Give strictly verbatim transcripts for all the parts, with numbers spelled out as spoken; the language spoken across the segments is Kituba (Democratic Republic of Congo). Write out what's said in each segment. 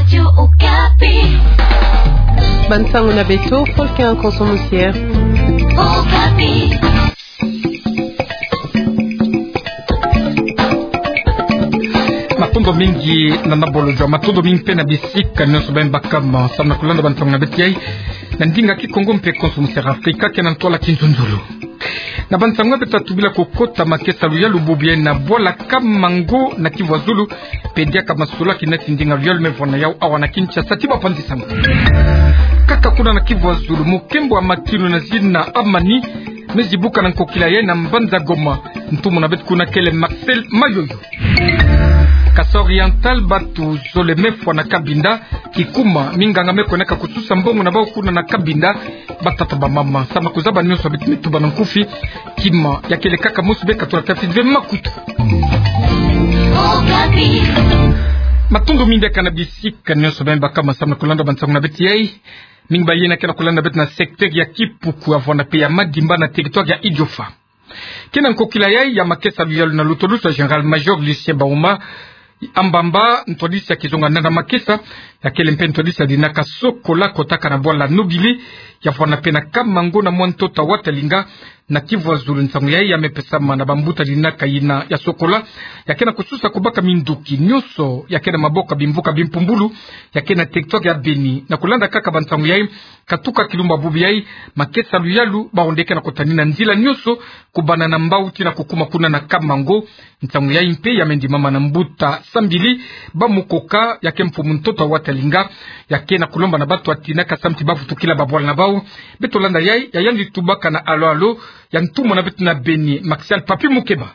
Radio Okapi. Bansango na beto, Folkin Konso Musier. Okapi. Matondo mingi na Nabolo Joa, matondo mingi mpe na bisika nyonso beno bakama samu na kulanda bansango na beto yai na ndinga Kikongo mpe Konso Musier Afrika, ke na ntwala kinzonzolo. Na bansango beto ta tubila ko kota makesa luyalu bubu yai na bwala Kamango na Kivu ya Zulu, mpe diaka masolaki nati ndinga luyalu me vwanda yau awa na Kinshasa ti bapanzi sango. Kaka kuna na Kivu ya Zulu, mukembo wa makinu na zina Amani me zibuka na nkokila yai na mbanza Goma. Ntumwa na beto kuna kele Marcel Mayoyo. Kasai Oriental, batu zole me fwa na Cabinda, kikuma minganga me kwendaka kususa mbongo na bau kuna na Cabinda, batata, bamama, samu na kuzaba nyonso beto me tuba na nkufi. Kima ya kele kaka mosi, beka tula tafiti ve makutu. Matondo mingi diaka na bisika nyonso beno bakama samu na kulanda bansango na beto yai. Mingi ba yena ke na kulanda beto na secteur ya Kipuku, ya vwanda mpe ya Madimba na territoire ya Idiofa. Ke na nkokila yai ya makesa luyalu na lutulusu ya Général-Major Lucien Bahuma, Ambamba, ntwadisi ya kizonga na makesa, ya kele mpe ntwadisi ya dinaka Sokola, kotaka na bwala Nobili, ya vwanda mpe na Kamango na mwa ntoto wa Watalinga, na Kivu ya Zulu. Nsangu yai ya me pesama na bambuta dinaka yina ya Sokola, ya ke na kususa kubaka minduki nyonso ya ke na maboko ya bimvuka bimpumbulu ya ke na territoire ya Beni. Na kulanda kaka bansangu yai, katuka kilumbu bubu yai, makesa luyalu, bau nde ke na kutanina nzila nyonso, kubanda na Mbau tii na kukuma kuna na Kamango. Nsangu yai mpe ya me ndimama na mbuta Sambili Bamukoka, ya ke mfumu ntoto wa Watalinga, ya ke na kulomba na batu ya tinaka samu ti bavutukila babwala na bau. Beto landa yai, ya yandi tubaka na alo-alo ya ntumwa na beto na Beni, Martial Papi Mukeba.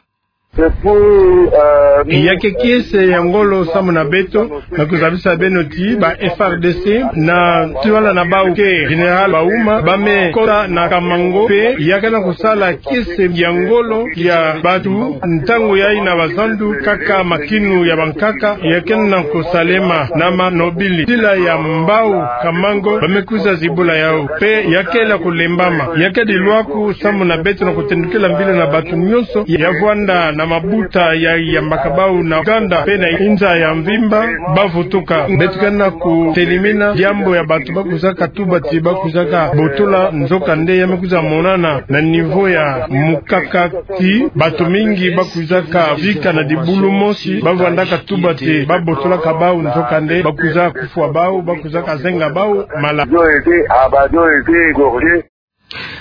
Ya ke kiese ya ngolo samu na beto, na kuzabisa beno ti ba F A R D C na ntwala na bau ke Général Bahuma, ba me kota na Kamango, mpe ya ke na kusala kiese ya ngolo ya batu. Ntangu yai na bazandu, kaka makinu ya bankaka ya ke na kusalema na ma Nobili, nzila ya Mbau Kamango, ba me kwiza zibula yau, mpe ya kele kulembama. Ya ke dilwaku samu na beto na kutendukila mbila na batu nyonso ya vwanda na mabuta ya yambaka bau na Uganda mpe na inza ya mvimba, bavutuka. Beto ke na kutelimina diambu ya batu ba kwizaka tuba ti ba kwizaka botola, nzokande ya me kwiza monana na niveau ya mukaka ti batu mingi ba kwizaka vika na dibulu mosi, ba vwandaka tuba ti ba botolaka bau, nzokande ba kwiza kufwa bau, ba kwizaka zenga bau mala.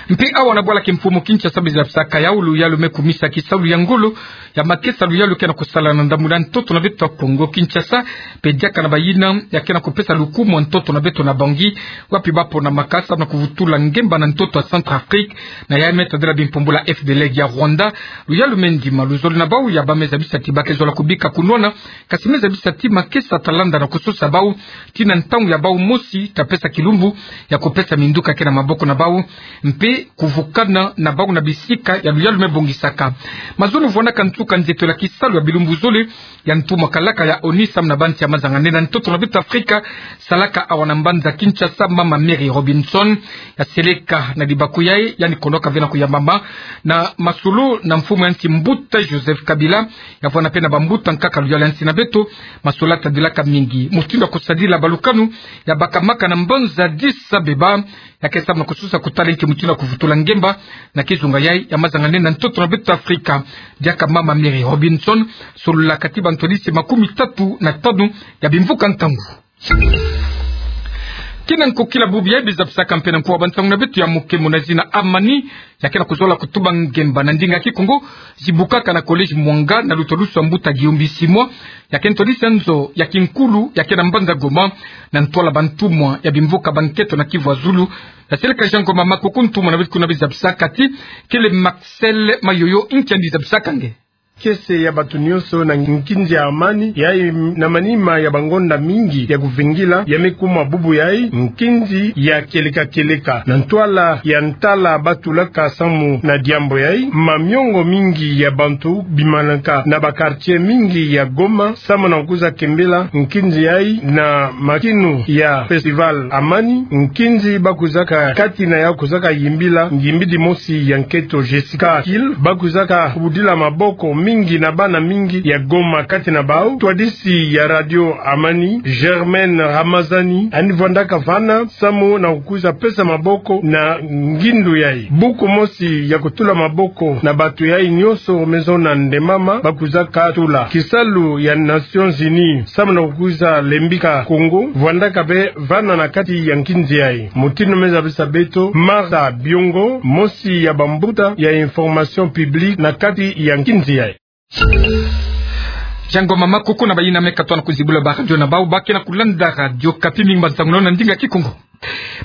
Mpe awa na bwala kimfumu Kinshasa, ba zabisaka yau luyalu me kumisa kisalu ya ngolo ya makesa luyalu ke na kusala na ndambu na ntoto na beto ya Kongo Kinshasa, mpe diaka na bayina ya ke na kupesa lukumu ntoto na beto na Bangui, wapi ba ponamaka samu na kuvutula ngemba na ntoto ya Centrafrique, na ya me tadila bimpumbulu ya F D L R ya Rwanda. Luyalu me ndima luzolo na bau, ya ba me zabisa ti ba ke zola kubika kunwana, kasi me zabisa ti makesa ta landa na kusosa bau, tii na ntangu ya bau mosi ta pesa kilumbu ya kupesa minduki ya ke na maboko na bau, mpe kuvukana na bau na bisika ya luyalu me bongisaka. Mazono vwanaka nsuka nzietolo ya kisalu ya bilumbu zole ya ntumwa kalaka ya ONU samu na bansi ya mazanga nene na ntoto na beto Afrika, salaka awa na mbanza Kinshasa, mama Mary Robinson, ya seleka na libaku yai, yandi konoka ve na kuyambama na masolo na mfumu ya nsi mbuta Joseph Kabila, ya vwanda mpe na bambuta nkaka luyalu ya nsi na beto. Masolo tadilaka mingi mutindu ya kusadila balukanu ya bakamaka na mbanza Addis Abeba, ya ke samu na kusosa kutala inki mutindu ya kuvutula ngemba na kizunga yai ya mazanga nene na ntoto na beto Afrika. Diaka mama Mary Robinson, sololaka ti bantwadisi makumi tatu na tanu ya bimvuka nkangu. Kina nkokila bubu yai, ba zabisaka mpe na nkuwa bansangu na beto ya mukemo na zina Amani, ya ke na kuzola kutuba ngemba na ndinga Kikongo, zibukaka na collège Mwanga na lutwadusu ya mbuta Guillaume Bisimwa, ya ke ntwadisi ya nzo ya kinkulu ya ke na mbanza Goma, na ntwala bantumwa ya bimvuka banketo na Kivu ya Zulu. Ya seleka Jean Ngoma Makoko, ntumwa na beto kuna, ba zabisaka ti kele Marcel Mayoyo, inki yandi zabisaka nge. Kiese ya batu nyonso na nkinzi ya Amani, yai na manima ya bangonda mingi ya kuvingila, ya me kuma bubu yai nkinzi ya kieleka kieleka. Na ntwala ya ntala ba tulaka samu na diambu yai, mamiongo mingi ya bantu bimanaka na ba quartier mingi ya Goma samu na kwiza kembela nkinzi yai na makinu ya festival Amani, nkinzi ba kwizaka kati na yau kwizaka yimbila ngimbidi mosi ya nketo Jessica Hill, ba kwizaka kubudila maboko mingi na bana mingi ya Goma. Kati na bau, twadisi ya Radio Amani, Germaine Ramazani, yandi vwandaka vana, samu na kukwiza pesa maboko na ngindu yayi. Buku mosi ya kutula maboko na bantu yayi nyonso, Maison Nde Mama, bakwizaka tula. Kisalu ya Nations Unies, samu na kukwiza lembika Congo, vwandaka mpe vana na kati ya nkinzi yayi. Mutindu me zabisa beto Martha Biongo, mosi ya bambuta ya information publique na kati ya nkinzi yayi. Kiangoma makuku na bayina me katuka na kuzibula ba radio na bau, ba ke na kulanda Radio Okapi, mingi bansangu na ndinga Kikongo.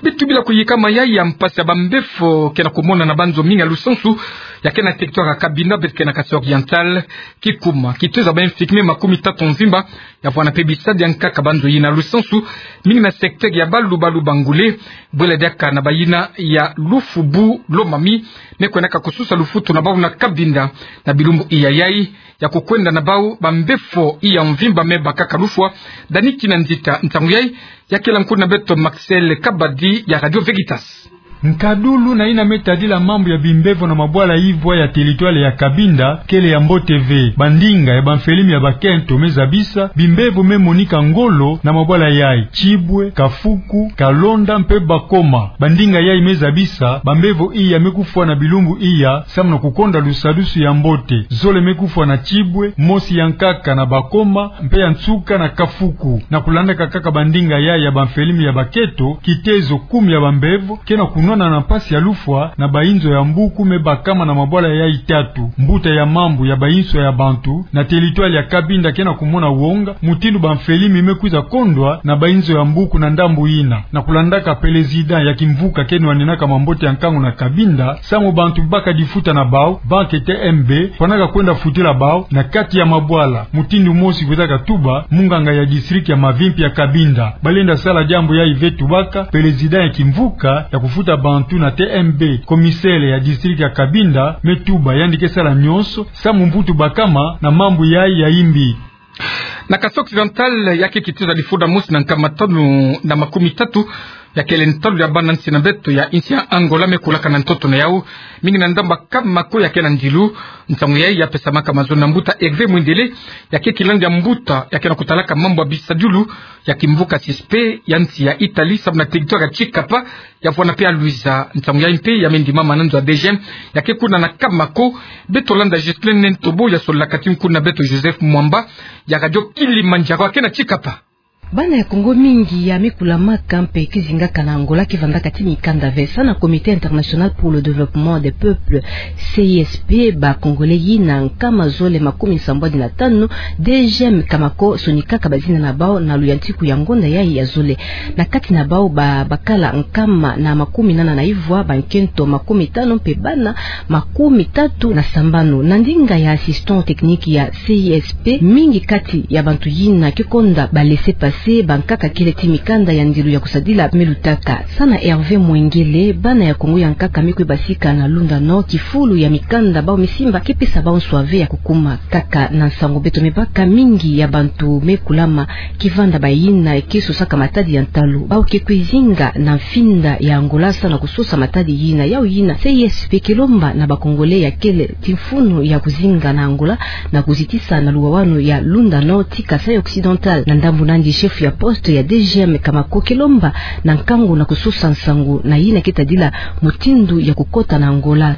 Bitubila kuyikama yayi ya mpasi ya bambefo ke na kumonana na banzo mingi ya lusansu ya ke na territoire ya Cabinda, beto ke na Kasaï Oriental, kikuma kitezo ya ba infirmiers makumi tatu mvimba, ya vwanda mpe bisadi ya nkaka banzo yina lusansu, mingi na secteur ya Balubalu Bangule, bwela diaka na bayina ya Lufubu Lomami, me kwendaka kususa lufutu na bau na Cabinda, na bilumbu iya yayi, ya kukwenda na bau bambefo iya mvimba me bakaka lufwa. Dani Kinanzita, nsangu yayi ya kela nkuna beto Maxel Kabadi ya Radio Veritas. Nkadulu na yina me tadila mambu ya bimbevo na mabwala ivwa ya territoire ya Cabinda kele ya mbote ve. Bandinga ya bamfilimi ya bakento me zabisa bimbevo me monika ngolo na mabwala yayi: Tchibwe, Kafuku, Kalonda mpe Bakoma. Bandinga yayi me zabisa bambevo iya me kufwa na bilumbu iya, samu na kukonda lusadusu ya mbote. Zole me kufwa na Tchibwe, mosi ya nkaka na Bakoma, mpe ya nsuka na Kafuku. Na kulandaka kaka bandinga yayi ya bamfilimi ya bakento, kitezo kumi ya bambevo ke na kunwana na mpasi ya lufwa na bainzo ya mbuku me bakama na mabwala yayi tatu. Mbuta ya mambu ya bainzo ya bantu na territoire ya Cabinda ke na kumona wonga mutindu bamfilimi me kwiza kondwa na bainzo ya mbuku na ndambu yina. Na kulandaka président ya kimvuka ke nwaninaka mambote ya nkangu na Cabinda, samu bantu baka difuta na bau, banque T M B, fwanaka kwenda futila bau na kati ya mabwala, mutindu mosi kwizaka tuba munganga ya district ya Mavimpi ya Cabinda. Balenda sala diambu yayi ve, tubaka président ya kimvuka ya kufuta bantu na T M B. Commissaire ya district ya Cabinda me tuba yandi ke sala nyonso samu mvutu bakama na mambu yayi ya imbi. Na Kasaï Occidental, ya ke kitezo ya difunda mosi na nkama tanu na makumi tatu ya kele ntalu ya bana nsi na beto ya insi ya Angola me kulaka na ntoto na yau, mingi na ndambu ya Kamako ya ke na ndilu. Nsangu yayi ya pesamaka mazono na mbuta Hervé Mwendele, ya ke kilandu ya mbuta ya ke na kutalaka mambu ya bisadiulu ya kimvuka S I S P ya nsi ya Italie, samu na territoire ya Tchikapa, ya vwanda mpe ya Luiza. Nsangu yayi mpe ya me ndimama na nzo ya D G M ya ke kuna na Kamako. Beto landa Ghislaine Ntobo ya sololaka ti nkuna beto Joseph Mwamba ya Radio Kilimanjaro ya ke na Tchikapa. Bana ya Kongo mingi ya me kulamaka mpe kizingaka na Angola ke vandaka ti mikanda ve. Samu na Comité International pour le Développement des Peuples, C I S P, ba Congolais yina nkama zole makumi sambwadi na tanu, D G M Kamako sonikaka bazina na bau na luyantiku ya ngonda yayi ya zole. Na kati na bau ba, bakala nkama na makumi nana na ivwa, bankento makumi tanu mpe bana makumi tatu na sambanu. Na ndinga ya assistant technique ya C I S P, mingi kati ya bantu yina ke konda ba laissez-passer, bankaka kele ti mikanda ya ndilu ya kusadila me lutaka. Samu na Hervé Mwengele, bana ya Kongo ya nkaka me kwe basika na Lunda Nord, kifulu ya mikanda bau me simba ke pesa bau nswa ve ya kukuma. Kaka na nsangu beto me baka, mingi ya bantu me kulama ke vanda bayina ke sosaka matadi ya ntalu. Bau ke kwe zinga na mfinda ya Angola samu na kusosa matadi yina. Yau yina, C I S P ke lomba na ba Congolais ya kele ti mfunu ya kuzinga na Angola na kuzitisa na luwawanu ya Lunda Nord ti Kasaï Occidental. Na ndambu nandi, chef ya poste ya D G M Kamako ke lomba na nkangu na kusosa nsangu na yina ke tadila mutindu ya kukota na Angola.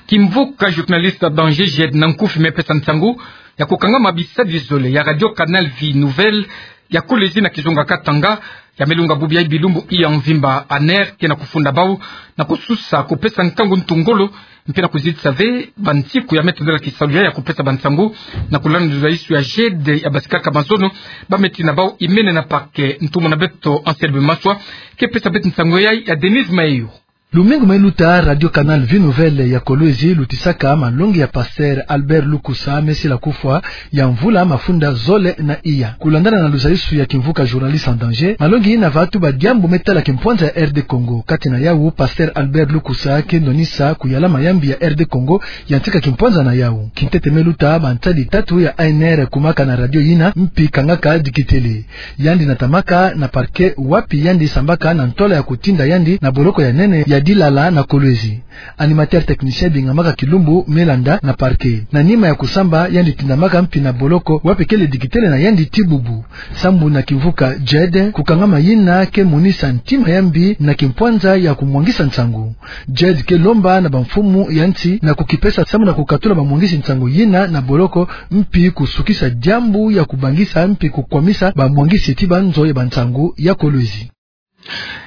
Kimvuka journaliste danger Jed Nankufi me pesa nsangu ya kukangama bisadi zole ya Radio Canal Vie Nouvelle, ya kolezi na kizunga Katanga, ya me lunga bubu ya bilumbu iya mvimba. Aner ke na kufunda bau na kususa kupesa nkangu ntungolo, mpe na kuzitisa ve bansiku ya me tadila kisalu ya, ya kupesa bansangu na kulanda luzayisu ya Jed ya basikaka mazono. Ba me tina bau imene na parquet. Ntumwa na beto Anselme Maswa ke pesa beto nsangu ya, ya Denise Mayo. Lumingu me luta, Radio Canal Vie Nouvelle ya Kolwezi lutisaka malongi ya Pasteur Albert Lukusa, me sila kufwa ya mvula mafunda zole na iya. Kulandana na luzayisu ya kimvuka Journaliste en Danger, malongi yina va tuba diambu me tala kimpwanza ya R D Congo. Kati na yau, Pasteur Albert Lukusa ke ndwanisa kuyala mayambi ya R D Congo, yantika kimpwanza na yau. Kintete me luta, bansadi tatu ya A N R kumaka na radio yina, mpi kangaka dikitele. Yandi natamaka na parquet, wapi yandi sambaka na ntwala ya kutinda yandi na boloko ya nene ya Dilala na Kolwezi. Animateur technicien Bingamaka Kilumbu me landa na parquet. Na nima ya kusamba, yandi tindamaka mpi na boloko, wapi kele dikitele na yandi ti bubu. Sambu na kimvuka Jed, kukangama yina ke monisa ntima ya mbi na kimpwanza ya kumwangisa nsangu. Jed ke lomba na bamfumu ya nsi na kukipesa sambu na kukatula bamwangisi nsangu yina na boloko, mpi kusukisa diambu ya kubangisa mpi kukwamisa bamwangisi ti banzo ya bansangu ya Kolwezi.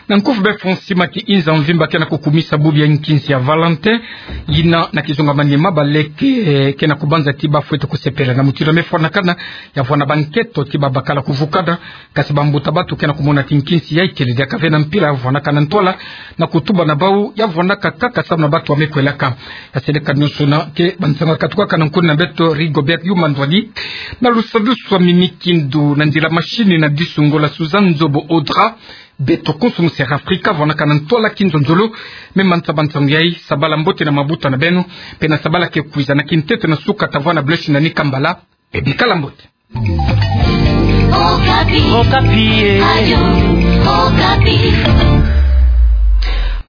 Na nkufi befo nsi ma kiinza mvimba ke na kukumisa bubu ya nkinsi ya Valentin, yina na kizunga manima baleke, eh, ke na kubanza ti bafwete kusepela na mutindu mefwanakana, ya vwanda bankento ti babakala kuvukana, kasi bambuta bantu ke na kumona ti nkinsi ya ikele diaka ve na mpila ya vwanakana ntwala, na kutuba na bau ya vwanakaka kaka sambu na bantu wa mekwelaka. Ya seleka nionso na ke bansangu ya katukaka na nkuni na beto Rigobert Yuma Ndwani, na lusadusu wa mimi kindu na nzila mashini na disungo la Suzanne Nzobo Audra, beto konso mu Sera Afrika, vwanakana ntwala kinzonzolo, me mansa bansangu yai, sabala mbote na mabuta na beno, pe na sabala ke kwiza na kintete na suka ta vwanda bleshi na ni kambala, pe bikala mbote. Okapi. Okapi, eh.